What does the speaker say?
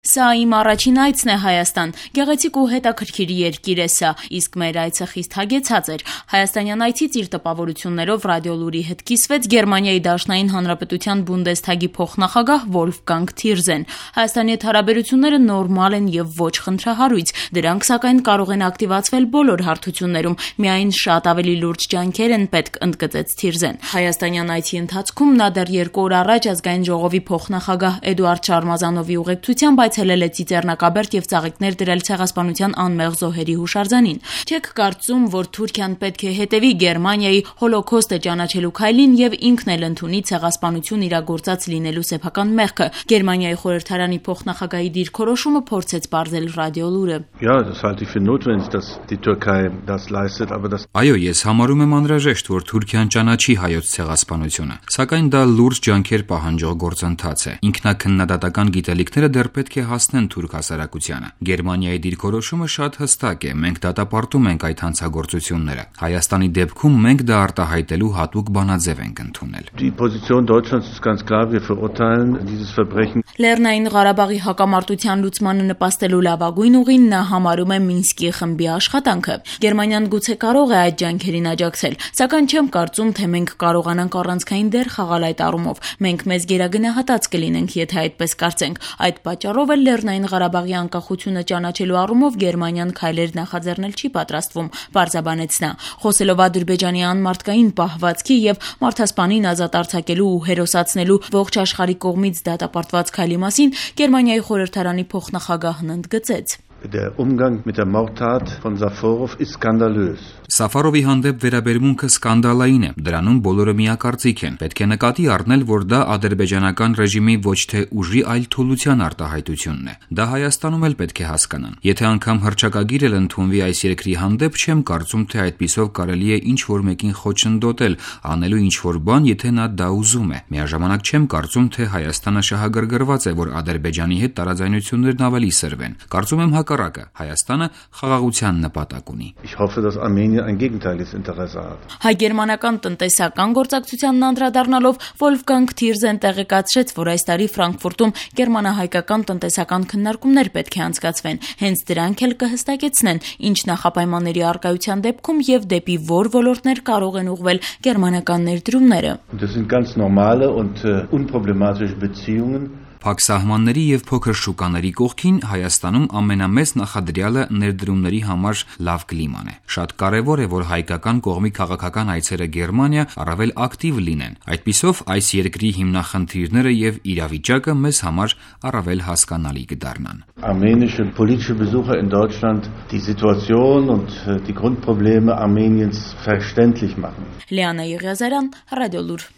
Սա իմ առաջին այցն է Հայաստան, գեղեցիկ ու հետաքրքիր երկիր է սա, իսկ մեր այցը խիստ հագեցած էր։ Հայաստանյան այցից իր տպավորություններով Ռադիոլուրի հետ կիսվեց Գերմանիայի Դաշնային Հանրապետության Բունդեսթագի փոխնախագահ Վոլֆգանգ Թիրզեն։ Հայաստանի հետ հարաբերությունները նորմալ են եւ ոչ խնդրահարույց, դրանք սակայն կարող են ակտիվացվել բոլոր հարթություններում, միայն շատ ավելի լուրջ ջանքեր են պետք, ընդգծեց Թիրզեն։ Հայաստանյան այցի ընթացքում նա դեռ 2 օր առաջ Ազգային ժողովի փոխնախագահ Էդուարդ Շարմազանովի ուղեկցությամբ այցելել է Ծիծեռնակաբերդ եւ ծաղիկներ դրել ցեղասպանության անմեղ զոհերի հուշարձանին։ Չեք կարծում, որ Թուրքիան պետք է հետևի Գերմանիայի հոլոքոստը ճանաչելու քայլին եւ ինքն էլ ընդունի ցեղասպանություն իրագործած լինելու սեփական մեղքը։ Գերմանիայի խորհրդարանի փոխնախագահի դիրքորոշումը փորձեց բարձել Ռադիոլուրը։ Այո, ես համարում եմ անհրաժեշտ, որ Թուրքիան ճանաչի հայոց ցեղասպանությունը, սակայն դա լուրջ ջանքեր պահանջող գործընթաց է։ Ինքնակնդատական գիտելիքները դեռ պետք է հասնեն թուրք հասարակությանը։ Գերմանիայի դիրքորոշումը շատ հստակ է, մենք դատապարտում ենք այդ հանցագործությունները։ Հայաստանի դեպքում մենք դա արտահայտելու հատուկ բանաձև ենք ընդունել։ Լեռնային Ղարաբաղի հակամարտության լուծմանը նպաստելու լավագույն ուղին նա համարում է Մինսկի խմբի աշխատանքը։ Գերմանիան գուցե կարող է այդ ջանքերին աջակցել, սակայն չեմ կարծում, թե մենք կարողանանք առանցքային դեր խաղալ այդ առումով։ Մենք մեզ գերագնահատած կլինենք, եթե այդպես կարծենք։ Այդ պատճառով էլ Լեռնային Ղարաբաղի անկախությունը ճանաչելու առումով Գերմանիան քայլեր նախաձեռնել չի պատրաստվում, պարզաբանեց նա։ Խոսելով Ադրբեջանի անմարդկային պահվածքի եւ մարդասպանին ազատ արձակելու ու հերոսացնելու ողջ աշխարհի կողմից դատապարտված քայլի մասին, Գերմանիայի խորհրդարանի փոխնախագահն ընդգծեց. Der Umgang mit der Mordtat von Safarov ist skandalös. Սաֆարովի հանդեպ վերաբերմունքը սկանդալային է, դրանում բոլորը միակարծիք են։ Պետք է նկատի առնել, որ դա ադրբեջանական ռեժիմի ոչ թե ուժի, այլ թուլության արտահայտությունն է։ Դա Հայաստանում էլ պետք է հասկանան։ Եթե անգամ հռչակագիր էլ ընդունվի այս երկրի հանդեպ, չեմ կարծում, թե այդպիսով կարելի է ինչ-որ մեկին խոչընդոտել, անելու ինչ-որ բան, եթե նա դա ուզում է։ Միաժամանակ չեմ կարծում, թե Հայաստանը շահագրգռված է, որ Ադրբեջանի հետ տարաձայնություններն ավելի սրվեն։ Կարծում եմ հակառակը, Հայաստանը խաղաղության նպատակ ունի։ Հայ-գերմանական տնտեսական գործակցությանն անդրադառնալով Վոլֆգանգ Թիրզեն տեղեկացրեց, որ այս տարի Ֆրանկֆուրտում գերմանա-հայկական տնտեսական քննարկումներ պետք է անցկացվեն։ Հենց դրանք էլ կհստակեցնեն, ինչ նախապայմանների առկայության դեպքում եւ դեպի որ ոլորտներ կարող են ուղղվել գերմանական ներդրումները։ Փակ սահմանների եւ փոքր շուկաների կողքին Հայաստանում ամենամեծ նախադրյալը ներդրումների համար լավ կլիման է։ Շատ կարեւոր է, որ հայկական կողմի քաղաքական այցերը Գերմանիա առավել ակտիվ լինեն։ Այդպիսով այս երկրի հիմնախնդիրները եւ իրավիճակը մեզ համար առավել հասկանալի կդառնան։ Armenische politische Besucher in Deutschland die Situation und die Grundprobleme Armeniens verständlich machen. Լիանա Եղիազարյան, Ռադիոլուր։